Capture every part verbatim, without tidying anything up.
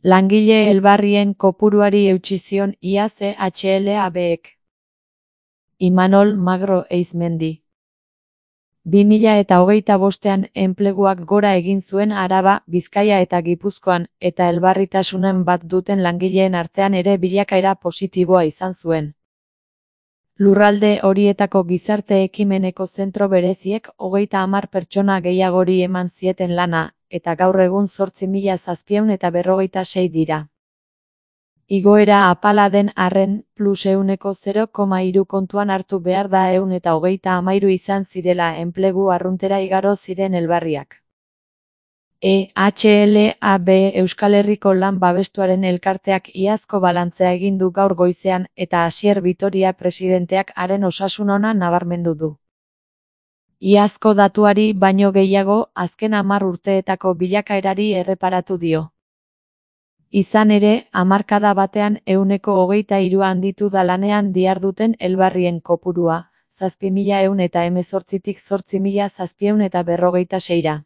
Langile elbarrien kopuruari eutsi zion iaz E H L A Bek. Imanol Magro Eizmendi. bi mila eta hogeita bostean enpleguak gora egin zuen Araba, Bizkaia eta Gipuzkoan, eta elbarritasunen bat duten langileen artean ere bilakaera positiboa izan zuen. Lurralde horietako gizarte ekimeneko zentro bereziek hogeita hamar pertsona gehiagori eman zieten lana, eta gaur egun zortzi mila zazpiehun eta berrogeita sei dira. Igoera apala den arren, plus ehuneko zero koma hiru kontuan hartu behar da ehun eta hogeita hamairu izan zirela enplegu arruntera igaro ziren elbarriak. E H L A B Euskal Herriko Lan Babestuaren Elkarteak iazko balantzea egin du gaur goizean eta Asier Vitoria presidenteak haren osasun ona nabarmendu du. Iazko datuari baino gehiago, azken hamar urteetako bilakaerari erreparatu dio. Izan ere, hamarkada batean ehuneko hogeita hiru handitu da lanean diharduten elbarrien kopurua, zazpi mila ehun eta hemezortzitik zortzi mila zazpiehun eta berrogeita seira.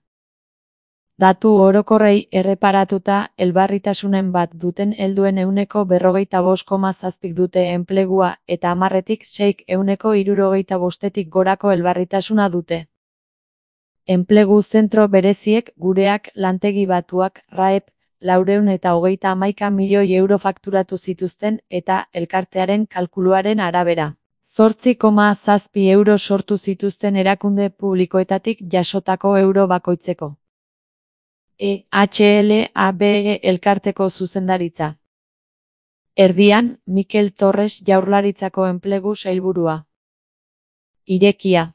Datu orokorrei erreparatuta, elbarritasunen bat duten helduen ehuneko berrogeita bost koma zazpik dute enplegua eta hamarretik seik ehuneko hirurogeita bostetik gorako elbarritasuna dute. Enplegu zentro bereziek gureak lantegi batuak R A E P laurehun eta hogeita hamaika milioi euro fakturatu zituzten eta elkartearen kalkuluaren arabera. Zortzi koma zazpi euro sortu zituzten erakunde publikoetatik jasotako euro bakoitzeko. E H L A B elkarteko zuzendaritza. Erdian, Mikel Torres Jaurlaritzako enplegu sailburua. Irekia.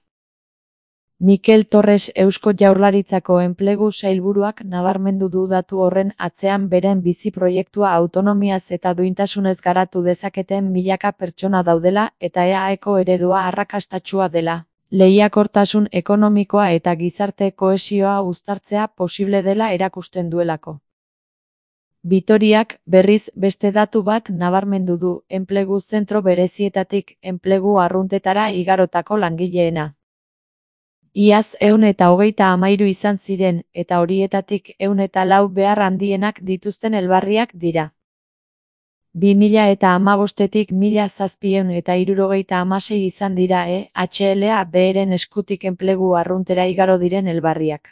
Mikel Torres Eusko Jaurlaritzako enplegu sailburuak nabarmendu du datu horren atzean beren bizi proiektua autonomiaz eta duintasunez garatu dezaketen milaka pertsona daudela eta E A Eko eredua arrakastatsua dela. Lehiakortasun ekonomikoa eta gizarte kohesioa uztartzea posible dela erakusten duelako. Vitoriak, berriz, beste datu bat nabarmendu du, enplegu zentro berezietatik enplegu arruntetara igarotako langileena. Iaz ehun eta hogeita hamairu izan ziren, eta horietatik ehun eta lau behar handienak dituzten elbarriak dira. bi mila eta hamabostetik mila zazpiehun eta hirurogeita hamasei izan dira E H L A Beren eskutik enplegu arruntera igaro diren elbarriak.